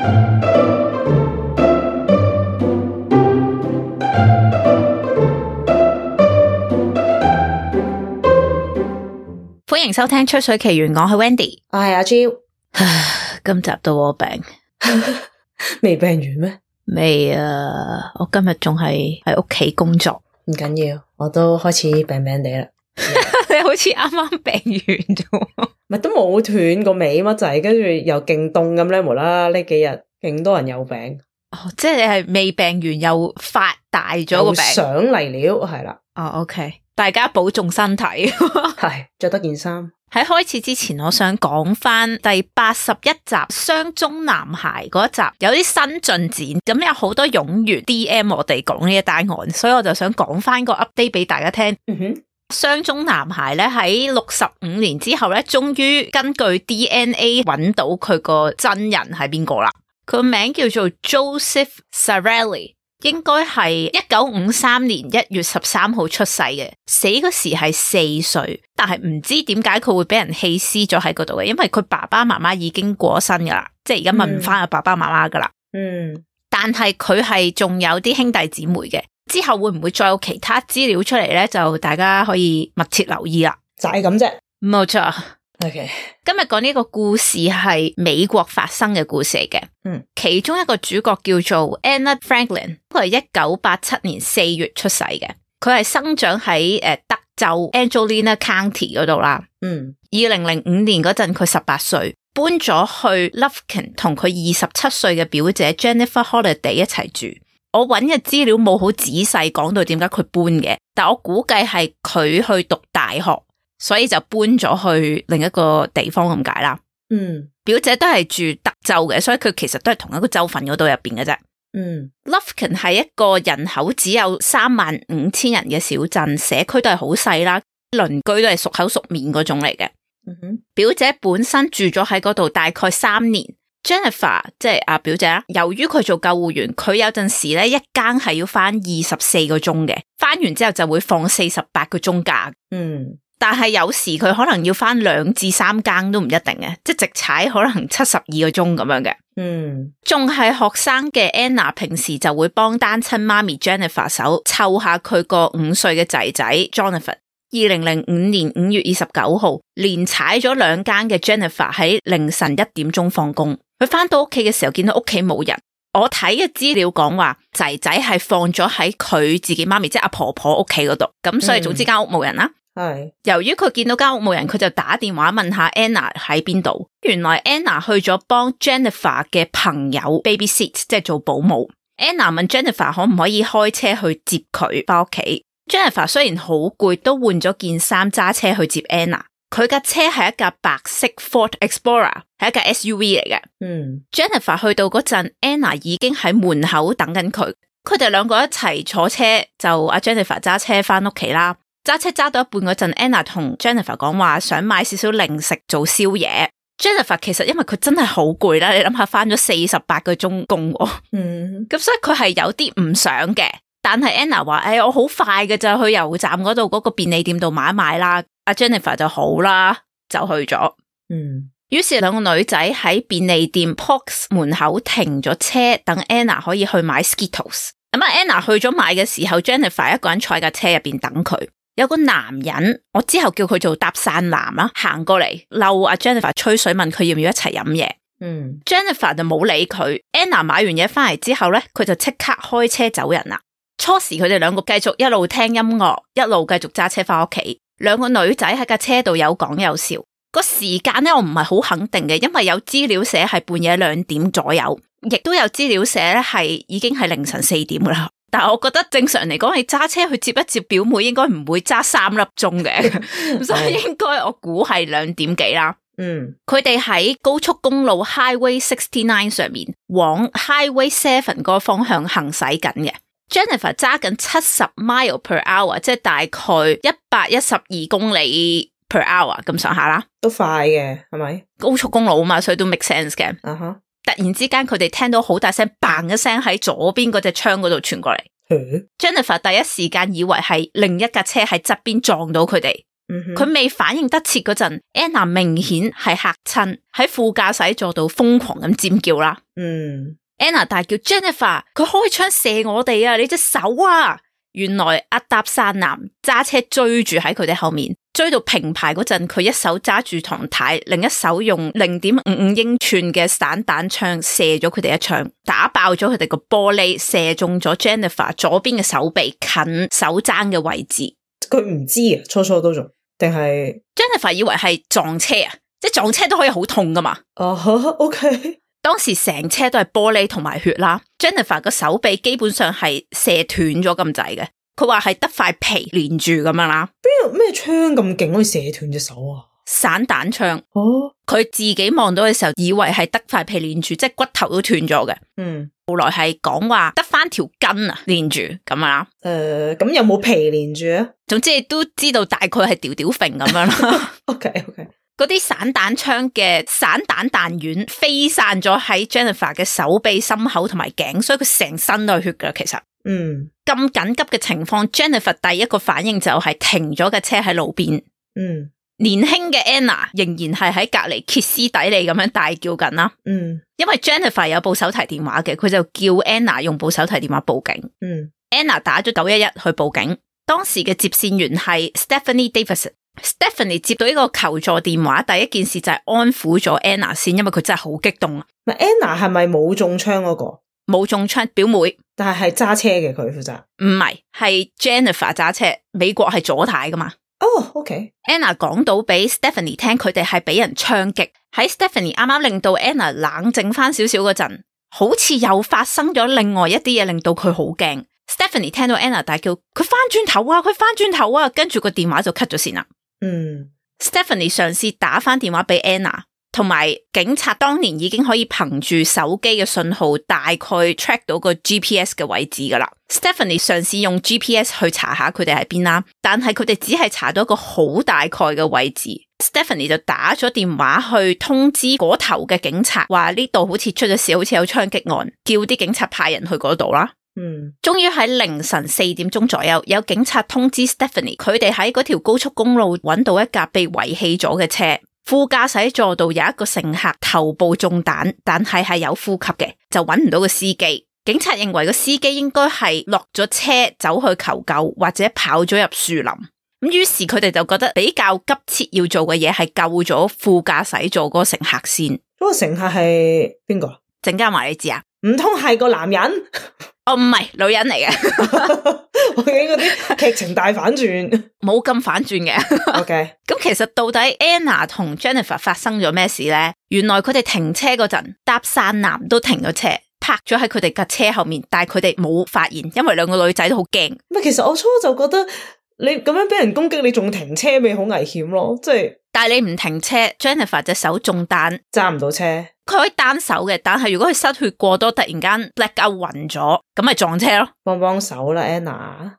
歡迎收聽《吹水奇緣》，我係 Wendy， 我係阿 Jill。今集到我病，未病完咩？未啊！我今日仲係喺屋企工作，唔緊要，我都開始病病地啦。你好似啱啱病完啫，咪都冇斷個尾乜滯，跟住又勁凍咁咧，無啦啦呢幾日勁多人有病。哦，即係你係未病完又發大咗個病，上嚟了，係啦。哦 ，OK， 大家保重身體。係着得件衫。喺開始之前，我想講翻第81集雙中男孩嗰一集有啲新進展，咁有好多勇員 DM 我哋講呢一單案，所以我就想講翻個 update 俾大家聽。雙中男孩咧喺65年之後咧，終於根據 DNA 揾到佢個真人係邊個啦。佢個名叫做 Joseph Zarelli， 應該係1953年1月13號出世嘅，死嗰時係4歲，但係唔知點解佢會俾人棄屍咗喺嗰度嘅，因為佢爸爸媽媽已經過咗身噶啦，即係而家問唔翻阿爸爸媽媽噶啦。但係佢係仲有啲兄弟姊妹嘅，之後會唔會再有其他資料出嚟咧？就大家可以密切留意啦。就係咁啫，冇錯。OK， 今日講呢個故事係美國發生嘅故事嚟嘅。其中一個主角叫做 Anna Franklin， 佢係1987年4月出世嘅。佢係生長喺德州 Angelina County 嗰度啦。2005年嗰陣佢18歲，搬咗去 Lufkin 同佢27歲嘅表姐 Jennifer Holliday 一齊住。我揾嘅資料冇好仔細講到點解佢搬嘅，但我估計係佢去讀大學，所以就搬咗去另一個地方咁解啦。表姐都係住德州嘅，所以佢其實都係同一個州份嗰度入邊嘅啫。Lufkin 係一個人口只有35,000人嘅小鎮，社區都係好細啦，鄰居都係熟口熟面嗰種嚟嘅。表姐本身住咗喺嗰度大概3年。Jennifer 即係阿表姐啦，由於佢做救護員，佢有陣時咧一更係要翻24個鐘嘅，翻完之後就會放48個鐘假。但係有時佢可能要翻2至3更都唔一定嘅，即係直踩可能72個鐘咁樣嘅。仲係學生嘅 Anna 平時就會幫單親媽咪 Jennifer 手湊下佢個5歲嘅仔仔 Jonathan。2005年5月29號，連踩咗2更嘅 Jennifer 喺凌晨1點鐘放工。佢翻到屋企嘅時候見到屋企冇人。我睇嘅資料講話仔仔係放咗喺佢自己媽咪即係阿婆婆屋企嗰度，咁所以總之間屋冇人啦。由於佢見到間屋冇人，佢就打電話問下 Anna 喺邊度。原來 Anna 去咗幫 Jennifer 嘅朋友 babysit， 即係做保姆。Anna 問 Jennifer 可唔可以開車去接佢翻屋企。Jennifer 雖然好攰，都換咗件衫揸車去接 Anna。佢架車係一架白色 Ford Explorer， 係一架 SUV 嚟嘅。Jennifer 去到嗰陣 ，Anna 已經喺門口等緊佢。佢哋兩個一齊坐車，就阿 Jennifer 揸車翻屋企啦。揸車揸到一半嗰陣 ，Anna 同 Jennifer 講話想買少少零食做宵夜。Jennifer 其實因為佢真係好攰啦，你諗下翻咗48個鐘工，咁所以佢係有啲唔想嘅。但係 Anna 話，我好快嘅就去油站嗰度嗰個便利店度買一買啦。阿 Jennifer 就好啦，就去咗。於是兩個女仔喺便利店 Pox 門口停咗車，等 Anna 可以去買 Skittles。咁Anna 去咗買嘅時候 ，Jennifer 一個人坐喺架車入邊等佢。有個男人，我之後叫佢做搭訕男啦，行過嚟嬲阿 Jennifer 吹水，問佢要唔要一齊飲嘢。Jennifer 就冇理佢。Anna 買完嘢翻嚟之後咧，佢就即刻開車走人啦。初時佢哋兩個繼續一路聽音樂，一路繼續揸車翻屋企。兩個女仔喺架車度有講有笑。個時間咧，我唔係好肯定嘅，因為有資料寫係半夜2點左右，亦都有資料寫咧係已經係凌晨4點噶啦。但係我覺得正常嚟講，你揸車去接一接表妹，應該唔會揸3粒鐘嘅，所以應該我估係2點幾啦。佢哋喺高速公路 Highway 69上面往 Highway 7嗰個方向行駛緊嘅。Jennifer 揸緊70 mile per hour， 即係大概112公里 per hour 咁上下啦，都快嘅，係咪？高速公路啊嘛，所以都 make sense 嘅。突然之間佢哋聽到好大聲嘭一聲喺左邊嗰隻窗嗰度傳過嚟。Jennifer 第一時間以為係另一架車喺側邊撞到佢哋，佢未反應得切嗰陣 ，Anna 明顯係嚇親，喺副駕駛座度瘋狂咁尖叫啦。Anna 大叫 Jennifer， 佢開槍射我哋啊！你隻手啊！原來阿搭訕男揸車追住喺佢哋後面，追到平排嗰陣，佢一手揸住唐太，另一手用0.55英寸嘅散彈槍射咗佢哋一槍，打爆咗佢哋個玻璃，射中咗 Jennifer 左邊嘅手臂近手踭嘅位置。佢唔知啊，初都仲定係 Jennifer 以為係撞車啊，即係撞車都可以好痛噶嘛。OK。當時成車都係玻璃同埋血啦 ，Jennifer 個手臂基本上係射斷咗咁滯嘅，佢話係得塊皮連住咁樣啦。邊有咩槍咁勁可以射斷隻手啊？散彈槍。佢自己望到嘅時候，以為係得塊皮連住，即係骨頭都斷咗嘅。後來係講話得翻條筋啊連住咁啦。咁有冇皮連住啊？總之都知道大概係吊吊揈咁樣啦。OK。嗰啲散彈槍嘅散彈彈丸飛散咗喺 Jennifer 嘅手臂、心口同埋頸，所以佢成身都係血噶。其實，咁緊急嘅情況 ，Jennifer 第一個反應就係停咗架車喺路邊。年輕嘅 Anna 仍然係喺隔籬歇斯底里咁樣大叫緊啦。因為 Jennifer 有部手提電話嘅，佢就叫 Anna 用部手提電話報警。Anna 打咗911去報警，當時嘅接線員係 Stephanie Davidson。Stephanie 接到呢個求助電話，第一件事就係安撫咗 Anna 先，因為佢真係好激動啊。Anna 係咪冇中槍嗰個？冇中槍，表妹，但係揸車嘅佢負責。唔係，係 Jennifer 揸車。美國係左軚噶嘛？OK。Anna 講到俾 Stephanie 聽，佢哋係俾人槍擊。喺 Stephanie 啱啱令到 Anna 冷靜翻少少嗰陣，好似又發生咗另外一啲嘢，令到佢好驚。Stephanie 聽到 Anna 大叫，佢翻轉頭啊，佢翻轉頭啊，跟住個電話就 cut 咗線啦。Stephanie 嘗試打翻電話俾 Anna， 同埋警察當年已經可以憑住手機嘅信號大概 track 到個 GPS 嘅位置噶啦。Stephanie 嘗試用 GPS 去查下佢哋喺邊啦，但係佢哋只係查到一個好大概嘅位置。Stephanie 就打咗電話去通知嗰頭嘅警察，話呢度好似出咗事，好似有槍擊案，叫啲警察派人去嗰度啦。終於喺凌晨4點鐘左右，有警察通知 Stephanie， 佢哋喺嗰條高速公路揾到一架被遺棄咗嘅車，副駕駛座度有一個乘客頭部中彈，但係有呼吸嘅，就揾唔到個司機。警察認為個司機應該係落咗車走去求救，或者跑咗入樹林。咁於是佢哋就覺得比較急切要做嘅嘢係救咗副駕駛座嗰個乘客先。嗰個乘客係邊個？陣間話你知啊？唔通係個男人？哦，唔係，女人嚟嘅。我見嗰啲劇情大反轉，冇咁反轉嘅。OK， 咁其實到底 Anna 同 Jennifer 發生咗咩事咧？原來佢哋停車嗰陣，搭訕男都停咗車，泊咗喺佢哋架車後面，但係佢哋冇發現，因為兩個女仔都好驚。其實我初就覺得你咁樣俾人攻擊，你仲停車咪好危險咯，即係。但係你唔停車 ，Jennifer 隻手中彈，揸唔到車。佢可以單手嘅，但係如果佢失血過多，突然間 black out 暈咗，咁咪撞車咯。幫手啦 ，Anna。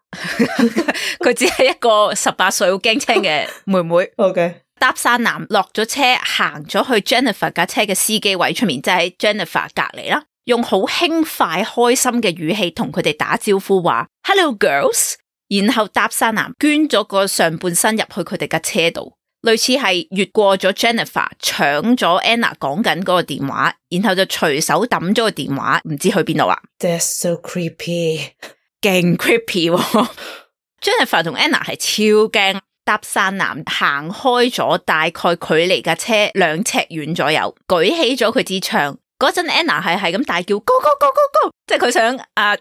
佢只係一個18歲好驚青嘅妹妹。OK。搭訕男落咗車，行咗去 Jennifer 架車嘅司機位出面，就喺 Jennifer 隔籬啦，用好輕快、開心嘅語氣同佢哋打招呼，話 Hello girls。然後搭訕男捐咗個上半身入去佢哋架車度。類似係越過咗 Jennifer， 搶咗 Anna 講緊嗰個電話，然後就隨手抌咗個電話，唔知去邊度啦。That's so creepy， 勁 creepy 喎。Jennifer 同 Anna 係超驚，搭訕男行開咗大概距離架車2尺遠左右，舉起咗佢支槍。嗰陣 Anna 係咁大叫 Go go go go go， 即係佢想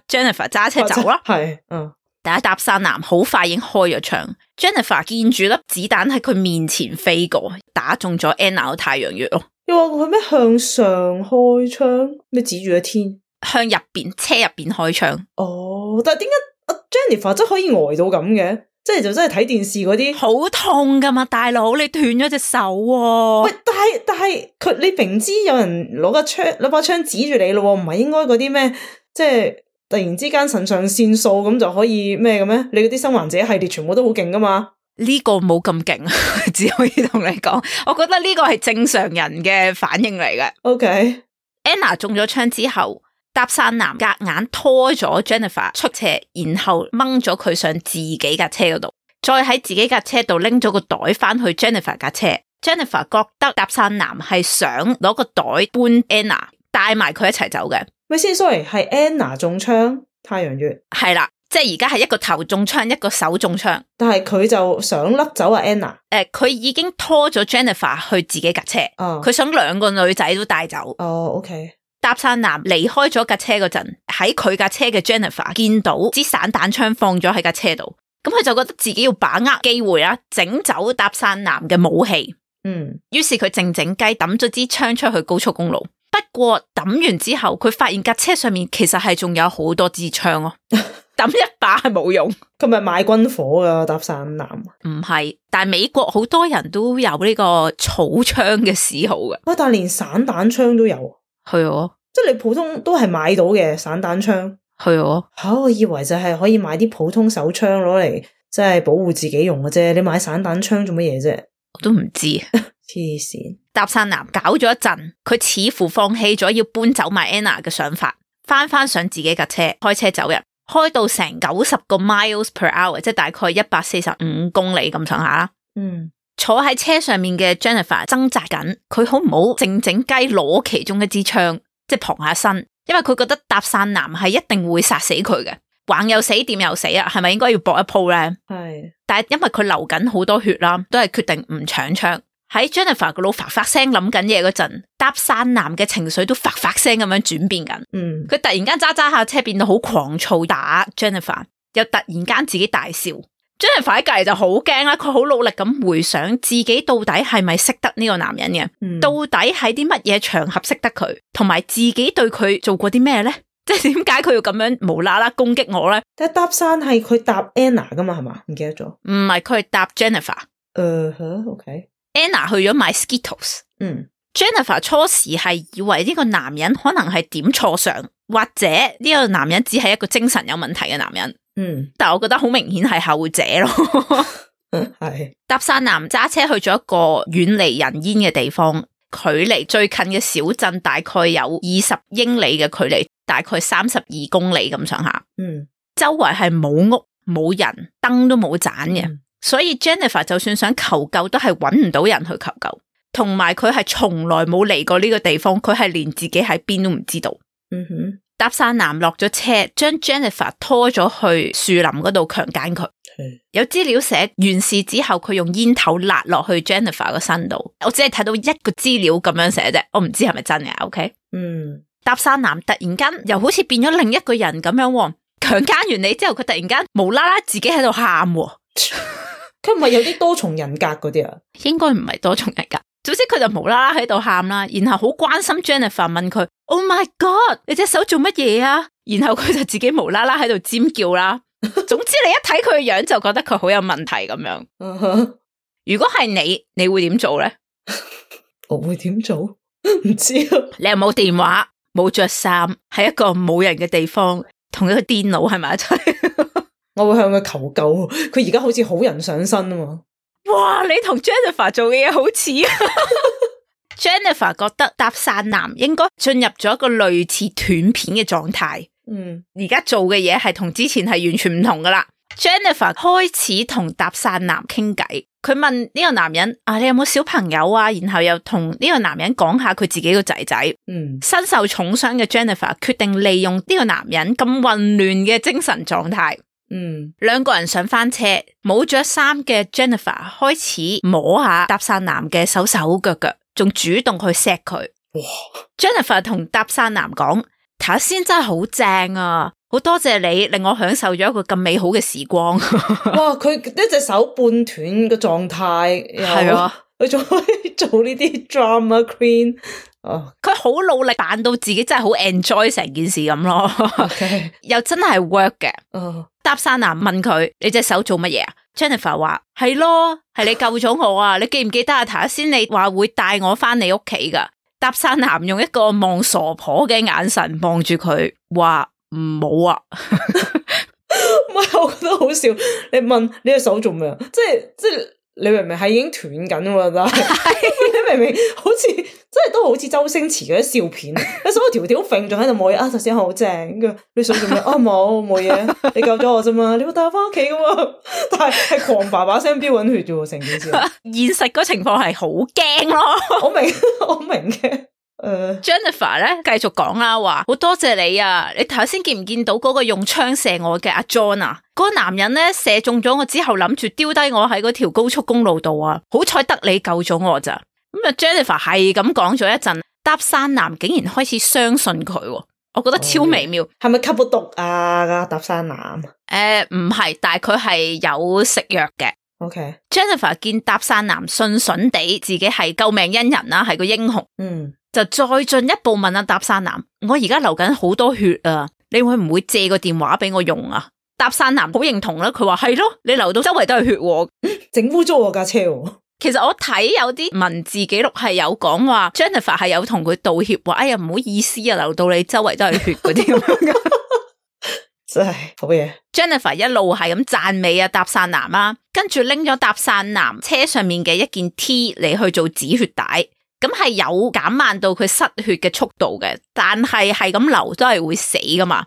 Jennifer 揸車走啦。係，但係搭訕男好快已經開咗槍 ，Jennifer 見住粒子彈喺佢面前飛過，打中咗 Anna 個太陽穴咯。你話佢咩向上開槍？咩指住個天？向入邊車入邊開槍。哦，但係點解 Jennifer 真可以呆到咁嘅？即係就真係睇電視嗰啲好痛噶嘛，大佬你斷咗隻手喎。喂，但係佢你明知有人攞把槍指住你咯，唔係應該嗰啲咩即係？突然之間腎上腺素咁就可以咩嘅咩？你嗰啲生還者系列全部都好勁噶嘛？呢個冇咁勁，只可以同你講，我覺得呢個係正常人嘅反應嚟嘅。OK，Anna 中咗槍之後，搭訕男夾硬拖咗 Jennifer 出車，然後掹咗佢上自己架車嗰度。再喺自己架車度拎咗個袋翻去 Jennifer 架車。Jennifer 覺得搭訕男係想攞個袋搬 Anna 帶埋佢一齊走嘅。咪先 ，sorry， 係 Anna 中槍，太陽穴係啦，即係而家係一個頭中槍，一個手中槍。但係佢就想甩走阿 Anna。佢已經拖咗 Jennifer 去自己架車。佢想兩個女仔都帶走。OK。搭訕男離開咗架車嗰陣，喺佢架車嘅 Jennifer 見到支散彈槍放咗喺架車度，咁佢就覺得自己要把握機會啦，整走搭訕男嘅武器。於是佢靜靜雞抌咗支槍出去高速公路。不過抌完之後，佢發現架車上面其實係仲有好多支槍咯。抌一把係冇用。佢咪買軍火噶搭訕男？唔係，但係美國好多人都有呢個草槍嘅嗜好嘅。但係連散彈槍都有。係啊，即係你普通都係買到嘅散彈槍。係啊。我以為就係可以買啲普通手槍攞嚟即係保護自己用嘅啫。你買散彈槍做乜嘢啫？我都唔知。黐線。搭訕男搞咗一陣，佢似乎放棄咗要搬走埋 Anna 嘅想法，翻上自己架車，開車走人，開到成90個 miles per hour， 即係大概145公里咁上下啦。坐喺車上面嘅 Jennifer 掙扎緊，佢好唔好靜靜雞攞其中一支槍，即係傍下身，因為佢覺得搭訕男係一定會殺死佢嘅，橫又死，掂又死啊，係咪應該要搏一鋪咧？係，但係因為佢流緊好多血啦，都係決定唔搶槍。喺 Jennifer 個腦發發聲諗緊嘢嗰陣，搭訕男嘅情緒都發發聲咁樣轉變緊。佢突然間揸下車變到好狂躁，打 Jennifer， 又突然間自己大笑。Jennifer 喺隔籬就好驚啦，佢好努力咁回想自己到底係咪識得呢個男人嘅，到底喺啲乜嘢場合識得佢，同埋自己對佢做過啲咩咧？即係點解佢要咁樣無啦啦攻擊我咧？但係搭訕係佢搭 Anna 噶嘛，係嘛？唔記得咗。唔係，佢係搭 Jennifer。OK。Anna 去咗買 Skittles。Jennifer 初時係以為呢個男人可能係點錯相，或者呢個男人只係一個精神有問題嘅男人。但係我覺得好明顯係後者咯。係。搭訕男揸車去咗一個遠離人煙嘅地方，距離最近嘅小鎮大概有20英里嘅距離，大概32公里咁上下。周圍係冇屋冇人，燈都冇盞嘅。所以 Jennifer 就算想求救都係搵唔到人去求救，同埋佢係從來冇嚟過呢個地方，佢係連自己喺邊都唔知道。搭訕男落咗車，將 Jennifer 拖咗去樹林嗰度強姦佢。有資料寫完事之後，佢用煙頭辣落去 Jennifer 個身度。我只係睇到一個資料咁樣寫啫，我唔知係咪真嘅。OK，搭訕男突然間又好似變咗另一個人咁樣，強姦完你之後，佢突然間無啦啦自己喺度喊。佢唔係有啲多重人格嗰啲啊？應該唔係多重人格。總之佢就無啦啦喺度喊啦，然後好關心 Jennifer 問佢 ：Oh my God， 你隻手做乜嘢啊？然後佢就自己無啦啦喺度尖叫啦。總之你一睇佢嘅樣就覺得佢好有問題咁樣。如果係你會點做咧？我會點做？唔知啊。你又冇電話，冇着衫，喺一個冇人嘅地方，同一個電腦喺埋一齊。我會向佢求救，佢而家好似好人上身啊嘛！哇，你同 Jennifer 做嘅嘢好似啊！Jennifer 覺得搭訕男應該進入咗一個類似斷片嘅狀態。而家做嘅嘢係同之前係完全唔同噶啦。Jennifer 開始同搭訕男傾偈，佢問呢個男人啊，你有冇小朋友啊？然後又同呢個男人講下佢自己個仔仔。身受重傷嘅 Jennifer 決定利用呢個男人咁混亂嘅精神狀態。兩個人上翻車，冇着衫嘅 Jennifer 開始摸下搭訕男嘅手手腳腳，仲主動去錫佢。Jennifer 同搭訕男講：頭先真係好正啊，好多謝你令我享受咗一個咁美好嘅時光。哇！佢一隻手半斷嘅狀態，係啊，佢仲可以做呢啲 drama queen。佢好努力扮到自己真係好 enjoy 成件事咁咯。又真係 work 嘅。搭訕男問佢：你隻手做乜嘢啊？ Jennifer 話：係咯，係你救咗我啊！你記唔記得啊？頭先你話會帶我翻你屋企噶。搭訕男用一個望傻婆嘅眼神望住佢，話唔好啊。唔係，我覺得好笑。你問你隻手做咩啊？即係你明明係已經斷緊喎，但係你明明好似真係都好似周星馳嗰啲笑片，你所有條條揈仲喺度冇嘢啊，頭先好正，你想做咩啊？冇嘢，你救咗我啫嘛，你會帶我翻屋企噶嘛？但係狂爸爸聲飆滾血啫喎，成件事。現實嗰情況係好驚咯。我明嘅。Jennifer 咧繼續講啦，話好多謝你啊！你頭先見唔見到嗰個用槍射我嘅阿 John 啊？嗰個男人咧射中咗我之後，諗住丟低我喺嗰條高速公路度啊！好彩得你救咗我咋。咁啊 Jennifer 係咁講咗一陣，搭訕男竟然開始相信佢，我覺得超微妙。係咪吸咗毒啊？搭訕男？唔係，但係佢係有食藥嘅。OK。Jennifer 見搭訕男信順地自己係救命恩人啦，係個英雄。就再進一步問搭訕男，我而家流緊好多血啊，你會唔會借個電話俾我用啊？搭訕男好認同啦，佢話係咯，你流到周圍都係血，整污糟我架車。其實我睇有啲文字記錄係有講話 Jennifer 係有同佢道歉，話哎呀唔好意思啊，流到你周圍都係血嗰啲咁樣。真係好嘢。Jennifer 一路係咁讚美搭訕男啊，跟住拎咗搭訕男車上面嘅一件 T 嚟去做止血帶。咁係有減慢到佢失血嘅速度嘅，但係咁流都係會死噶嘛。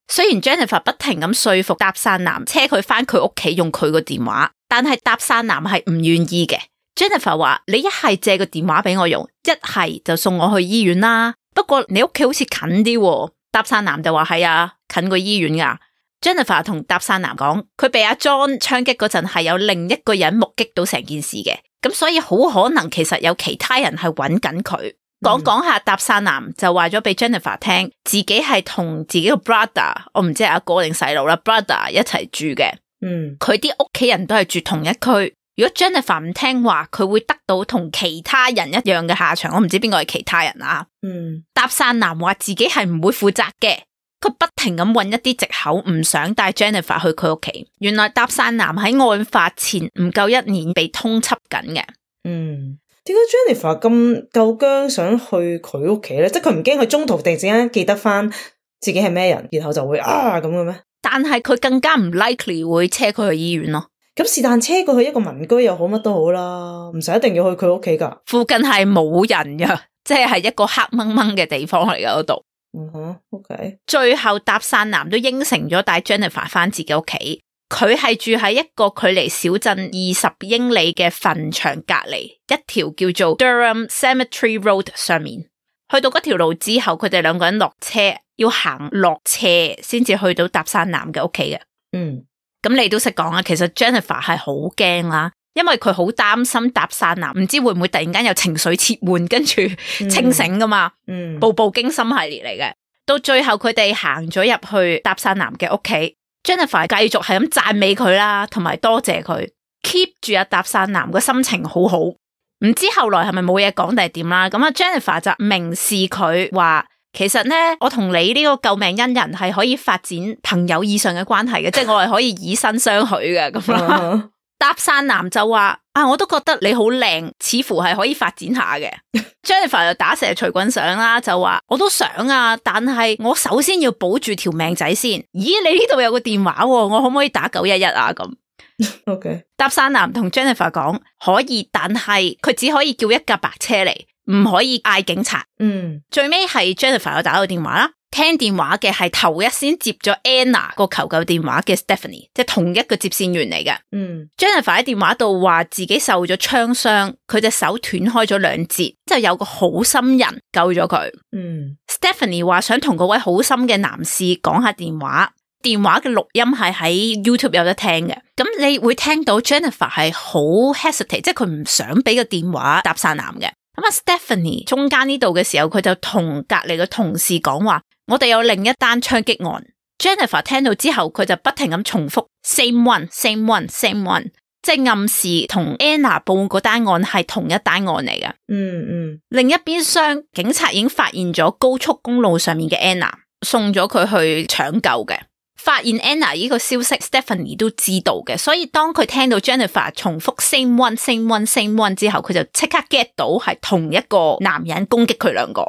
雖然 Jennifer 不停咁說服搭訕男車佢翻佢屋企用佢個電話，但係搭訕男係唔願意嘅。Jennifer 話：你一係借個電話俾我用，一係就送我去醫院啦。不過你屋企好似近啲喎。搭訕男就話：係啊，近過醫院噶。Jennifer 同搭訕男講，佢被阿 John 槍擊嗰陣係有另一個人目擊到成件事嘅。咁所以好可能其實有其他人係揾緊佢。講下搭訕男就話咗俾 Jennifer 聽，自己係同自己個 brother， 我唔知係阿哥定細佬啦 brother 一齊住嘅。佢啲屋企人都係住同一區。如果 Jennifer 唔聽話，佢會得到同其他人一樣嘅下場。我唔知邊個係其他人啊。搭訕男話自己係唔會負責嘅。佢不停咁揾一啲藉口，唔想帶 Jennifer 去佢屋企。原來搭訕男喺案發前唔夠1年被通緝緊嘅。點解 Jennifer 咁夠薑想去佢屋企咧？即係佢唔驚佢中途突然之間記得翻自己係咩人，然後就會咁嘅咩？但係佢更加唔 likely 會車佢去醫院咯。咁是但車過去一個民居又好，乜都好啦，唔使一定要去佢屋企噶。附近係冇人噶，即係一個黑掹掹嘅地方嚟噶嗰度。OK。最後搭訕男都應承咗帶 Jennifer 翻自己屋企。佢係住喺一個距離小鎮20英里嘅墳場隔離，一條叫做 Durham Cemetery Road 上面。去到嗰條路之後，佢哋兩個人落車，要行落斜先至去到搭訕男嘅屋企嘅。咁你都識講啊，其實 Jennifer 係好驚啦，因為佢好擔心搭訕男唔知會唔會突然間有情緒切換，跟住清醒噶嘛。步步驚心系列嚟嘅。到最後佢哋行咗入去搭訕男嘅屋企。Jennifer 繼續係咁讚美佢啦，同埋多謝佢 keep 住搭訕男個心情好好。唔知後來係咪冇嘢講定係點啦？咁Jennifer 就明示佢話，其實咧我同你呢個救命恩人係可以發展朋友以上嘅關係嘅，即係我係可以以身相許嘅咁啦。搭訕男就話我都覺得你好靚，似乎係可以發展下嘅。Jennifer 就打蛇隨棍上啦，就話我都想啊，但係我首先要保住條命仔先。咦，你呢度有個電話，我可唔可以打911啊？咁 OK。搭訕男同 Jennifer 講可以，但係佢只可以叫一架白車嚟，唔可以嗌警察。最尾係 Jennifer 有打到電話啦。聽電話嘅係頭一先接咗 Anna 個求救電話嘅 Stephanie， 即係同一個接線員嚟嘅。Jennifer 喺電話度話自己受咗槍傷，佢隻手斷開咗2節，就有個好心人救咗佢。Stephanie 話想同嗰位好心嘅男士講下電話，電話嘅錄音係喺 YouTube 有得聽嘅。咁你會聽到 Jennifer 係好 hesitate， 即係佢唔想俾個電話搭訕男嘅。咁Stephanie 中間呢度嘅時候，佢就同隔籬嘅同事講話，我哋有另一單槍擊案。Jennifer 聽到之後，佢就不停咁重複 same one，same one，same one， 即係暗示同 Anna 報嗰單案係同一單案嚟嘅。另一邊廂，警察已經發現咗高速公路上面嘅 Anna， 送咗佢去搶救嘅。發現 Anna 呢個消息 Stephanie 都知道嘅，所以當佢聽到 Jennifer 重複 same one，same one，same one 之後，佢就即刻 get 到係同一個男人攻擊佢兩個。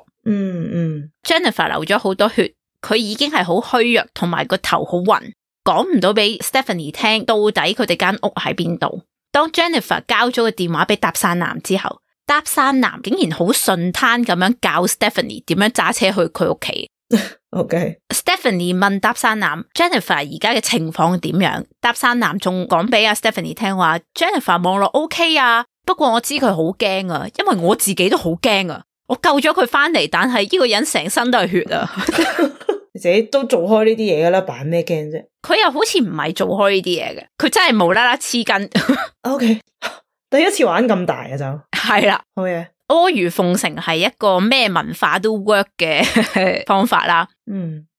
Jennifer 流咗好多血，佢已經係好虛弱，同埋個頭好暈，講唔到俾 Stephanie 聽到底佢哋間屋喺邊度。當 Jennifer 交咗個電話俾搭訕男之後，搭訕男竟然好順攤咁樣教 Stephanie 點樣揸車去佢屋企。Stephanie 問搭訕男 Jennifer 而家嘅情況點樣，搭訕男仲講俾阿 Stephanie 聽話 Jennifer 望落 OK 啊，不過我知佢好驚啊，因為我自己都好驚啊，我救咗佢翻嚟，但係呢個人成身都係血啊。你自己都做開呢啲嘢噶啦，扮咩驚啫？佢又好似唔係做開呢啲嘢嘅，佢真係無啦啦黐筋。OK， 第一次玩咁大啊就係啦，好嘢。阿諛奉承係一個咩文化都 work 嘅方法啦。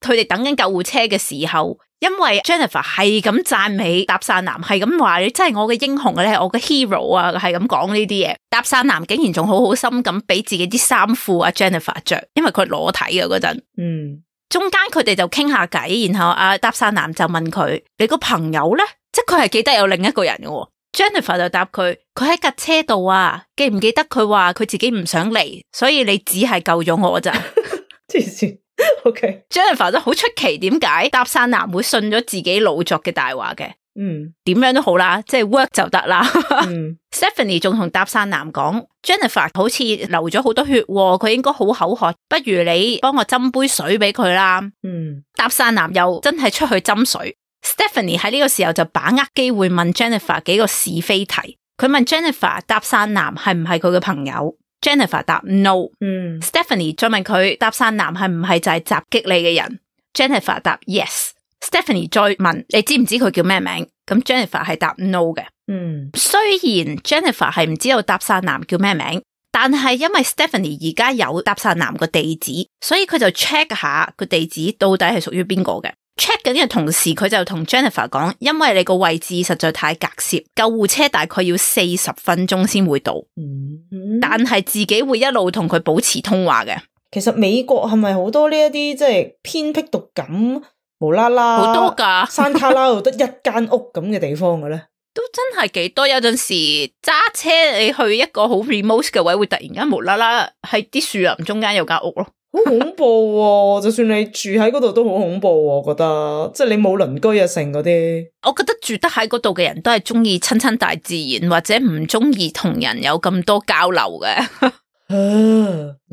佢哋等緊救護車嘅時候，因為 Jennifer 係咁讚美搭訕男，係咁話你真係我嘅英雄啊，你係我嘅 hero 啊，係咁講呢啲嘢。搭訕男竟然仲好好心咁俾自己啲衫褲阿 Jennifer 着，因為佢裸體嘅嗰陣。中間佢哋就傾下偈，然後阿搭訕男就問佢：你個朋友咧？即係佢係記得有另一個人嘅。Jennifer 就答佢喺架車度啊，記唔記得佢話佢自己唔想嚟，所以你只係救咗我咋？黐線。OK， Jennifer 都好出奇，點解搭訕男會信咗自己老作嘅大話嘅？點樣都好啦，即係 work 就得啦。Stephanie 仲同搭訕男講 Jennifer 好似流咗好多血，佢應該好口渴，不如你幫我斟杯水俾佢啦。搭訕男又真係出去斟水。Stephanie 喺呢個時候就把握機會問 Jennifer 幾個是非題。佢問 Jennifer 搭訕男係唔係佢嘅朋友， Jennifer 答 no。Stephanie 再問佢搭訕男係唔係就係襲擊你嘅人， Jennifer 答 yes。Stephanie 再問你知唔知佢叫咩名，咁 Jennifer 係答 no 嘅。雖然 Jennifer 係唔知道搭訕男叫咩名，但係因為 Stephanie 而家有搭訕男個地址，所以佢就 check 下個地址到底係屬於邊個嘅。check 緊嘅同時，佢就同 Jennifer 講，因為你個位置實在太隔涉，救護車大概要40分鐘先會到。但係自己會一路同佢保持通話嘅。其實美國係咪好多呢一啲即係偏僻獨感無啦啦好多噶山卡拉度得一間屋咁嘅地方嘅咧？都真係幾多，有陣時揸車你去一個好 remote 嘅位，會突然間無啦啦喺啲樹林中間有間屋咯。好恐怖喎！就算你住喺嗰度都好恐怖喎，我覺得即係你冇鄰居啊成嗰啲。我覺得住得喺嗰度嘅人都係中意親大自然，或者唔中意同人有咁多交流嘅。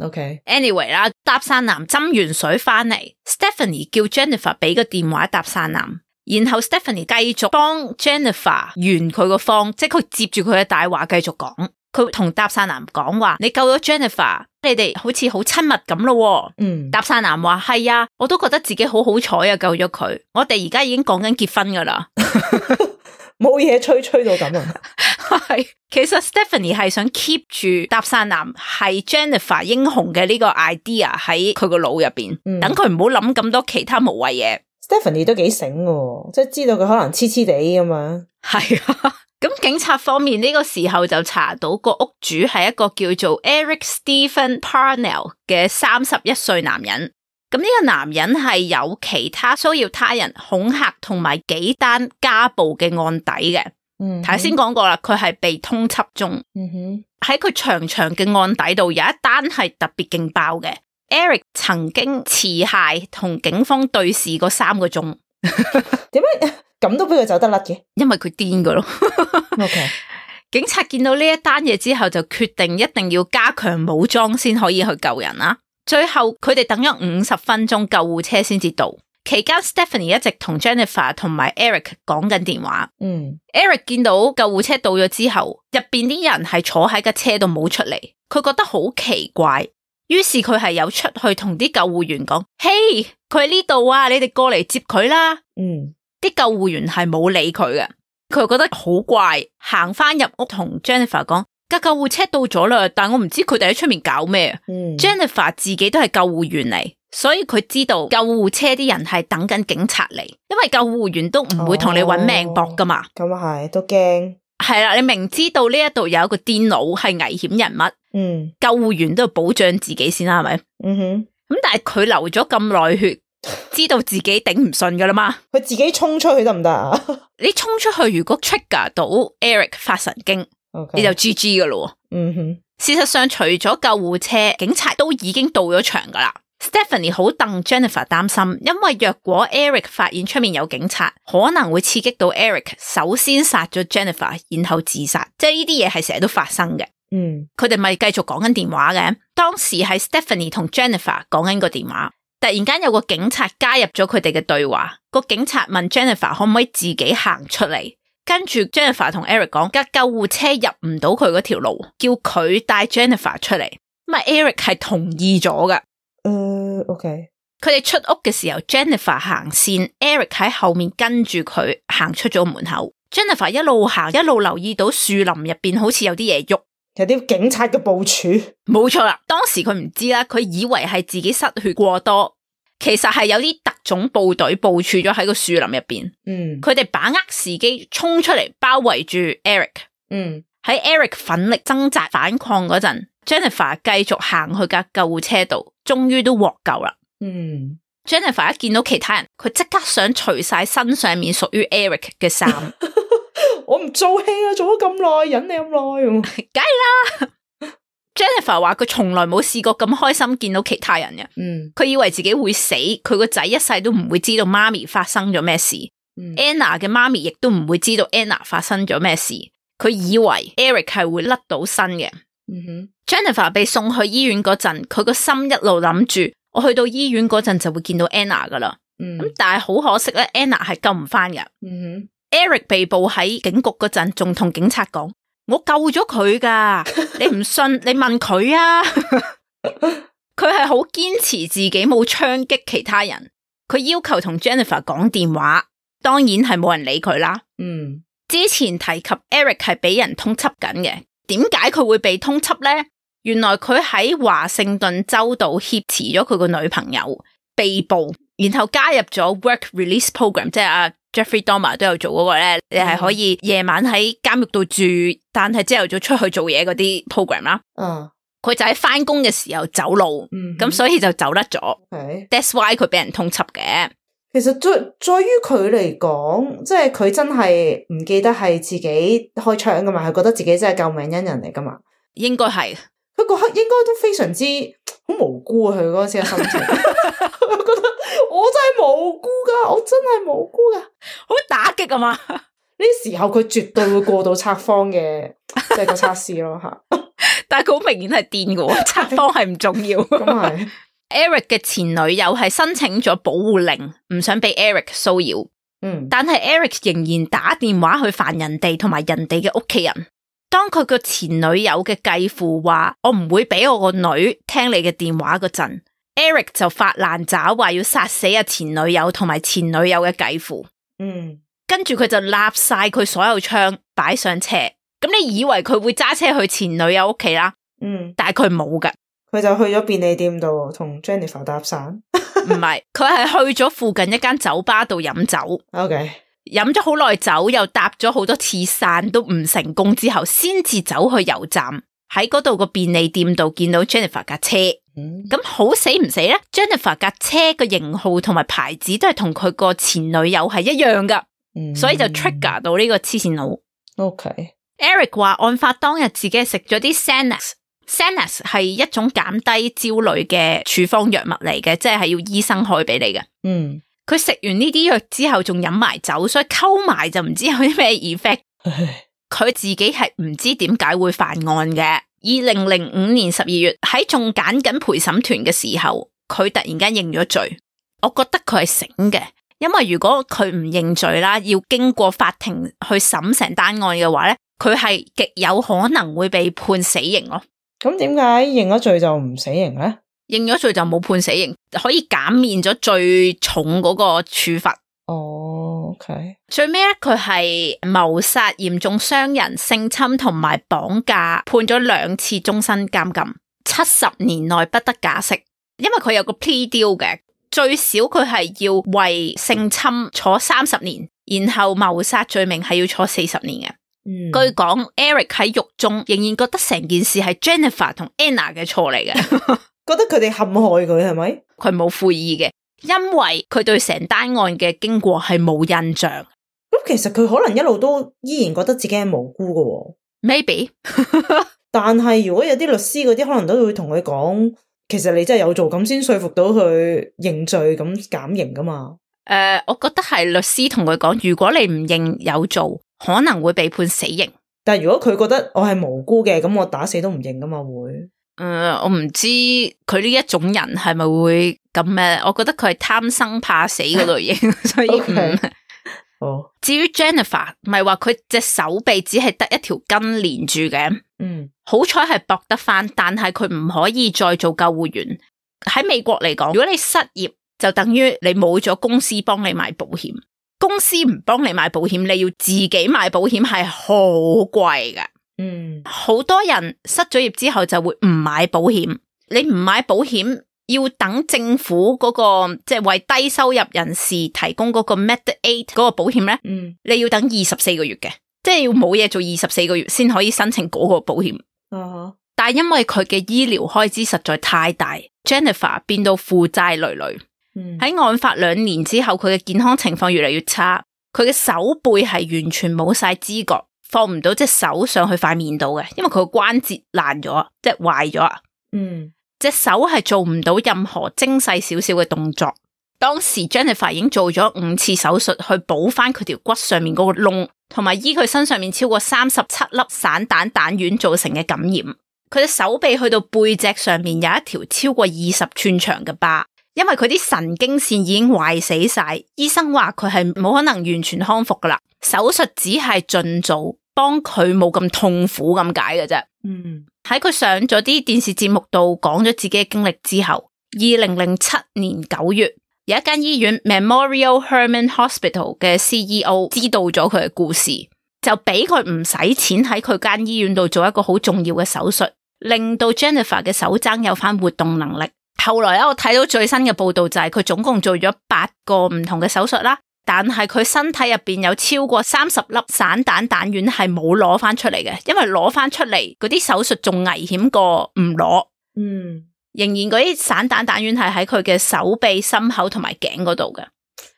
OK。Anyway 啦，搭訕男斟完水翻嚟 ，Stephanie 叫 Jennifer 俾個電話搭訕男，然後 Stephanie 繼續幫 Jennifer 完佢個方，即係佢接住佢嘅大話繼續講。佢同搭訕男講話：你救咗 Jennifer， 你哋好似好親密咁咯。搭訕男話：係啊，我都覺得自己好好彩啊，救咗佢。我哋而家已經講緊結婚噶啦，冇嘢吹到咁啊。係，其實 Stephanie 係想 keep 住搭訕男係 Jennifer 英雄嘅呢個 idea 喺佢個腦入邊，等佢唔好諗咁多其他無謂嘢。Stephanie 都幾醒嘅，即係知道佢可能黐黐地咁嘛。係啊。咁警察方面呢個時候就查到個屋主係一個叫做 Eric Stephen Parnell 嘅31歲男人。咁呢個男人係有其他騷擾他人、恐嚇同埋幾單家暴嘅案底嘅。頭先講過啦，佢係被通緝中。喺佢長長嘅案底度有一單係特別勁爆嘅。Eric 曾經持械同警方對視過3個鐘。點解？咁都俾佢走得甩嘅，因為佢癲㗎咯。OK， 警察見到呢一單嘢之後，就決定一定要加強武裝先可以去救人啦。最後佢哋等咗50分鐘，救護車先至到。期間 Stephanie 一直同 Jennifer 同埋 Eric 講緊電話。Eric 見到救護車到咗之後，入邊啲人係坐喺架車度冇出嚟，佢覺得好奇怪，於是佢係有出去同啲救護員講：嘿，佢喺呢度啊，你哋過嚟接佢啦。啲救護員係冇理佢嘅，佢覺得好怪，行翻入屋同 Jennifer 講：架救護車到咗啦，但我唔知佢哋喺出面搞咩。Jennifer 自己都係救護員嚟，所以佢知道救護車啲人係等緊警察嚟，因為救護員都唔會同你搵命搏噶嘛。咁啊係，都驚。係啦，你明知道呢一度有一個癲佬係危險人物，救護員都要保障自己先啦，係咪？咁但係佢流咗咁耐血。知道自己頂唔順噶啦嘛，佢自己衝出去得唔得啊？你衝出去，如果 trigger 到 Eric 發神經，你就 GG 噶咯。事實上，除咗救護車，警察都已經到咗場噶啦。Stephanie 好戥 Jennifer 擔心，因為若果 Eric 發現出面有警察，可能會刺激到 Eric 首先殺咗 Jennifer， 然後自殺，即係呢啲嘢係成日都發生嘅。佢哋咪繼續講緊電話嘅，當時係 Stephanie 同 Jennifer 講緊個電話，突然間有個警察加入咗佢哋嘅對話，個警察問 Jennifer 可唔可以自己行出嚟，跟住 Jennifer 同 Eric 講，架救護車入唔到佢嗰條路，叫佢帶 Jennifer 出嚟，咁啊 Eric 係同意咗㗎。OK。佢哋出屋嘅時候 Jennifer 行先 Eric 喺後面跟住佢行出咗門口。Jennifer 一路行一路留意到樹林入邊好似有啲嘢喐，有啲警察嘅部署。冇錯啦，當時佢唔知啦，佢以為係自己失血過多，其實係有啲特種部隊部署咗喺個樹林入邊。佢哋把握時機衝出嚟包圍住 Eric。喺 Eric 奮力掙扎反抗嗰陣，Jennifer 繼續行去架救護車度，終於都獲救啦。Jennifer 一見到其他人，佢即刻想除晒身上面屬於 Eric 嘅衫。我唔做戲啊，做咗咁耐，忍你咁耐，梗係啦。Jennifer 話佢從來冇試過咁開心見到其他人嘅。佢以為自己會死，佢個仔一世都唔會知道媽咪發生咗咩事。Anna 嘅媽咪亦都唔會知道 Anna 發生咗咩事。佢以為 Eric 係會甩到身嘅。Jennifer 被送去醫院嗰陣，佢個心一路諗住，我去到醫院嗰陣就會見到 Anna 噶啦。但係好可惜咧 ，Anna 係救唔翻嘅。Eric 被捕喺警局嗰陣，仲同警察講：我救咗佢噶，你唔信你問佢啊。佢係好堅持自己冇槍擊其他人，佢要求同 Jennifer 講電話，當然係冇人理佢啦。之前提及 Eric 係俾人通緝緊嘅，點解佢會被通緝呢？原來佢喺華盛頓州度挾持咗佢個女朋友，被捕，然後加入咗 Work Release Program， 即係阿 Jeffrey Dahmer 都有做嗰個咧，你係可以夜晚喺監獄度住，但係朝頭早出去做嘢嗰啲 program 啦。佢就喺翻工嘅時候走路，咁所以就走甩咗。That's why 佢俾人通緝嘅。其實在於佢嚟講，即係佢真係唔記得係自己開槍噶嘛，係覺得自己真係救命恩人嚟噶嘛。應該係。佢嗰刻應該都非常之好無辜啊！佢嗰時嘅心情，我覺得我真係無辜噶，我真係無辜噶，好打擊啊嘛！呢時候佢絕對會過到測謊嘅，即係個測試咯吓。但係佢好明顯係癲嘅，測謊係唔重要。咁係。Eric 嘅前女友係申請咗保護令，唔想俾 Eric 騷擾。但係 Eric 仍然打電話去煩人哋同埋人哋嘅屋企人。當佢個前女友嘅繼父話我唔會俾我個女聽你嘅電話嗰陣 ，Eric 就發爛渣話要殺死阿前女友同埋前女友嘅繼父。跟住佢就立晒佢所有槍擺上車。咁你以為佢會揸車去前女友屋企啦？但係佢冇噶，佢就去咗便利店度同 Jennifer 搭訕。唔係，佢係去咗附近一間酒吧度飲酒。OK。飲咗好耐酒，又搭咗好多次傘都唔成功之後，先至走去油站，喺嗰度個便利店度見到 Jennifer 架車。咁好死唔死咧 ？Jennifer 架車個型號同埋牌子都係同佢個前女友係一樣噶，所以就 trigger 到呢個黐線佬。Eric 話案發當日自己係食咗啲 Xanax 係一種減低焦慮嘅處方藥物嚟嘅，即係要醫生開俾你嘅。佢食完呢啲藥之後仲飲埋酒，所以溝埋就唔知有啲咩 effect。佢自己係唔知點解會犯案嘅。2005年12月喺仲揀緊陪審團嘅時候，佢突然間認咗罪。我覺得佢係醒嘅，因為如果佢唔認罪啦，要經過法庭去審成單案嘅話咧，佢係極有可能會被判死刑咯。咁點解認咗罪就唔死刑咧？認咗罪就冇判死刑，可以減免咗最重嗰個處罰。OK。最尾咧，佢係謀殺、嚴重傷人、性侵同埋綁架，判咗2次終身監禁，70年內不得假釋。因為佢有個 plea deal 嘅，最少佢係要為性侵坐30年，然後謀殺罪名係要坐40年嘅。據講 Eric 喺獄中仍然覺得成件事係 Jennifer 同 Anna 嘅錯嚟嘅。覺得佢哋陷害佢係咪？佢冇悔意嘅，因為佢對成單案嘅經過係冇印象。咁其實佢可能一路都依然覺得自己係無辜嘅。Maybe。但係如果有啲律師嗰啲，可能都會同佢講，其實你真係有做咁先說服到佢認罪咁減刑噶嘛？我覺得係律師同佢講，如果你唔認有做，可能會被判死刑。但係如果佢覺得我係無辜嘅，咁我打死都唔認噶嘛會？我唔知佢呢一種人係咪會咁咩？我覺得佢係貪生怕死嗰類型，所以唔。至於 Jennifer， 唔係話佢隻手臂只係得一條筋連住嘅，好彩係駁得翻，但係佢唔可以再做救護員。喺美國嚟講，如果你失業，就等於你冇咗公司幫你買保險。公司唔幫你買保險，你要自己買保險係好貴㗎。好多人失咗業之後就會唔買保險。你唔買保險，要等政府嗰個即係為低收入人士提供嗰個 Med-Aid 嗰個保險咧，你要等24個月嘅，即係要冇嘢做24個月先可以申請嗰個保險。但係因為佢嘅醫療開支實在太大，Jennifer 變到負債累累。喺案發2年之後，佢嘅健康情況越嚟越差，佢嘅手背係完全冇晒知覺，放唔到隻手上去塊面度嘅，因為佢個關節爛咗，即係壞咗。隻手係做唔到任何精細少少嘅動作。當時 Jennifer 已經做咗5次手術去補翻佢條骨上面嗰個窿，同埋醫佢身上面超過37粒散彈彈丸造成嘅感染。佢嘅手臂去到背脊上面有一條超過20寸長嘅疤。因為佢啲神經線已經壞死晒，醫生話佢係冇可能完全康復噶啦，手術只係盡早幫佢冇咁痛苦咁解嘅啫。喺佢上咗啲電視節目度講咗自己嘅經歷之後，2007年9月，有一間醫院 Memorial Hermann Hospital 嘅 CEO 知道咗佢嘅故事，就俾佢唔使錢喺佢間醫院度做一個好重要嘅手術，令到 Jennifer 嘅手踭有翻活動能力。後來我睇到最新嘅報道就係佢總共做咗8個唔同嘅手術啦，但係佢身體入邊有超過30粒散彈彈丸係冇攞翻出嚟嘅，因為攞翻出嚟嗰啲手術仲危險過唔攞。仍然嗰啲散彈彈丸係喺佢嘅手臂、心口同埋頸嗰度嘅。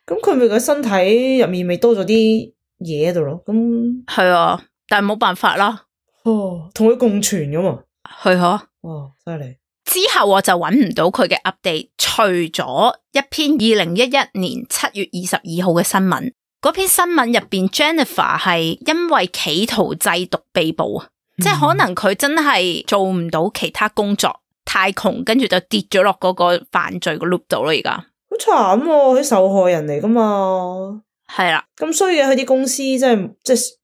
咁佢咪個身體入面咪多咗啲嘢喺度咯？咁係啊，但係冇辦法啦。同佢共存噶嘛？係啊。哇，犀利！之後我就揾唔到佢嘅 update， 除咗一篇2011年7月22號嘅新聞，嗰篇新聞入邊 Jennifer 係因為企圖製毒被捕啊，即係可能佢真係做唔到其他工作，太窮，跟住就跌咗落嗰個犯罪個 loop 度咯。而家好慘喎，佢受害人嚟噶嘛？係啦，咁衰嘅佢啲公司即係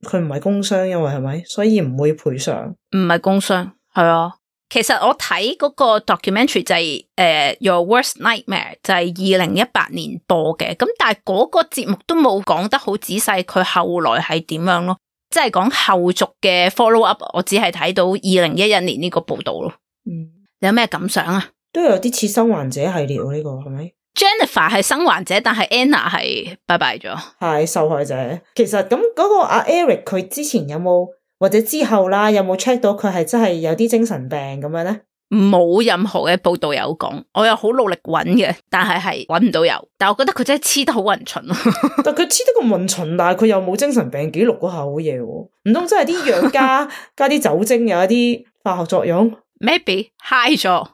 佢唔係工傷，因為係咪？所以唔會賠償，唔係工傷，係啊。其實我睇嗰個 documentary 就係Your Worst Nightmare 就係2018年播嘅，咁但係嗰個節目都冇講得好仔細，佢後來係點樣咯？即係講後續嘅 follow up， 我只係睇到2011年呢個報道咯。你有咩感想啊？都有啲似生還者系列喎，呢個係咪 ？Jennifer 係生還者，但係 Anna 係拜拜咗，係受害者。其實咁嗰個阿 Eric 佢之前有冇？或者之後啦，有冇 check 到佢係真係有啲精神病咁樣咧？冇任何嘅報道有講，我又好努力揾嘅，但係揾唔到有。但係我覺得佢真係黐得好勻循咯。但佢黐得咁勻循，但係佢又冇精神病記錄嗰下好嘢喎。唔通真係啲藥加啲酒精有一啲化學作用 ？Maybe high 咗，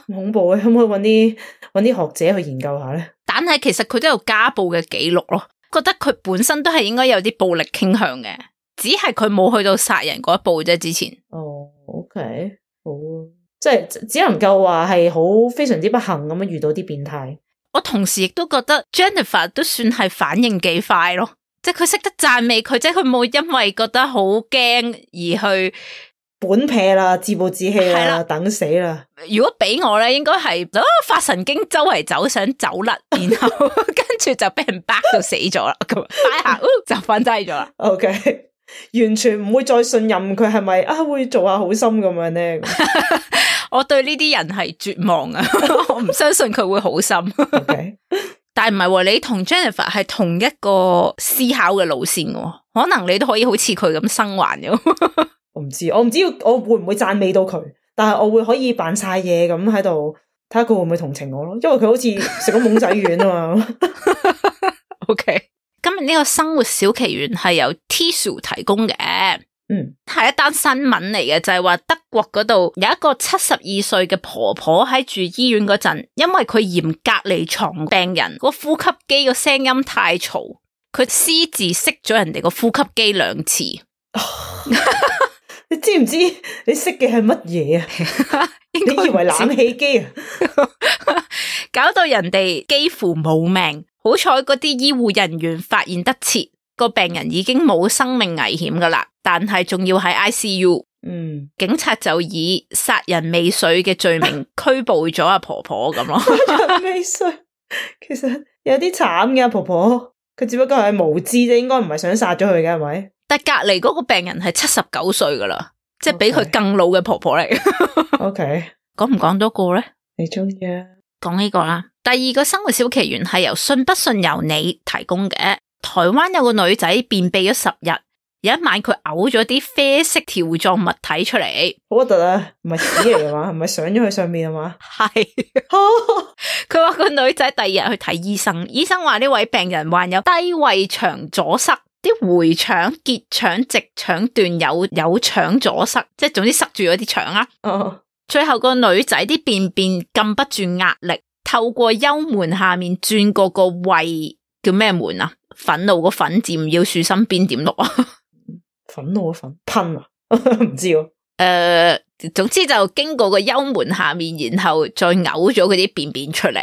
恐怖嘅，可唔可以揾啲學者去研究下咧？但係其實佢都有家暴嘅記錄咯，覺得佢本身都係應該有啲暴力傾向嘅。只係佢冇去到殺人嗰一步啫，之前。OK， 好，即係只能夠話係好非常之不幸咁樣遇到啲變態。我同時亦都覺得 Jennifer 都算係反應幾快咯，即係佢識得讚美佢，即係佢冇因為覺得好驚而去本撇啦，自暴自棄啦，等死啦。如果俾我咧，應該係發神經周圍走，想走甩，然後跟住就俾人巴到死咗啦，咁擺下就瞓低咗啦。OK。完全唔會再信任佢係咪會做下好心咁樣咧？我對呢啲人係絕望啊！我唔相信佢會好心。Okay. 但係唔係喎，你同 Jennifer 係同一個思考嘅路線喎，可能你都可以好似佢咁生還嘅。我唔知我會唔會讚美到佢，但係我會可以扮晒嘢咁喺度睇下佢會唔會同情我咯，因為佢好似食咗懵仔丸啊嘛。OK。今日呢個生活小奇懸係由 Tissue 提供嘅，係一單新聞嚟嘅，就係話德國嗰度有一個72歲嘅婆婆喺住醫院嗰陣，因為佢嫌隔離床病人個呼吸機個聲音太嘈，佢私自熄咗人哋個呼吸機2次。你知唔知你熄嘅係乜嘢啊？你以為冷氣機啊？搞到人哋幾乎冇命。好彩嗰啲醫護人員發現得切，個病人已經冇生命危險噶啦，但係仲要喺 ICU。警察就以殺人未遂嘅罪名拘捕咗阿婆婆咁咯。殺人未遂，其實有啲慘嘅，婆婆佢只不過係無知啫，應該唔係想殺咗佢嘅，係咪？但隔籬嗰個病人係79歲噶啦，即係比佢更老嘅婆婆嚟。OK， 講唔講多個咧？你中意啊？講呢個啦。第二個生活小奇懸係由信不信由你提供嘅。台灣有個女仔便秘咗10日，有一晚佢嘔咗啲啡色條狀物體出嚟，好核突啊！唔係屎嚟嘅嘛？唔係上咗去上面係嘛？係。佢話個女仔第二日去睇醫生，醫生話呢位病人患有低胃腸阻塞，啲回腸、結腸、直腸段有腸阻塞，即係總之塞住咗啲腸啊。最後個女仔啲便便禁不住壓力，透過幽門下面轉過個胃，叫咩門啊？憤怒個憤字唔要豎心邊點錄啊？憤怒個憤噴啊？唔知喎。總之就經過個幽門下面，然後再嘔咗嗰啲便便出嚟。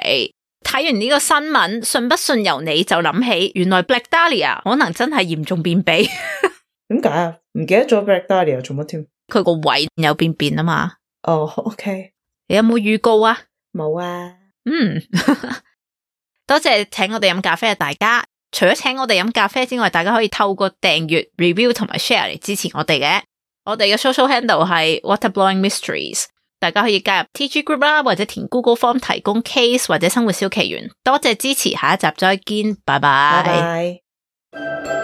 睇完呢個新聞，信不信由你，就諗起原來 Black Dahlia 可能真係嚴重便秘。點解啊？唔記得咗 Black Dahlia 做乜添？佢個胃有便便啊嘛。OK。你有冇預告啊？冇啊。多謝請我哋飲咖啡嘅大家。除咗請我哋飲咖啡之外，大家可以透過訂閱、review 同埋 share 嚟支持我哋嘅。我哋嘅 social handle 係 Waterblowing Mysteries， 大家可以加入 TG group 啦，或者填 Google Form 提供 case 或者生活小奇懸。多謝支持，下一集再見，拜拜。拜拜。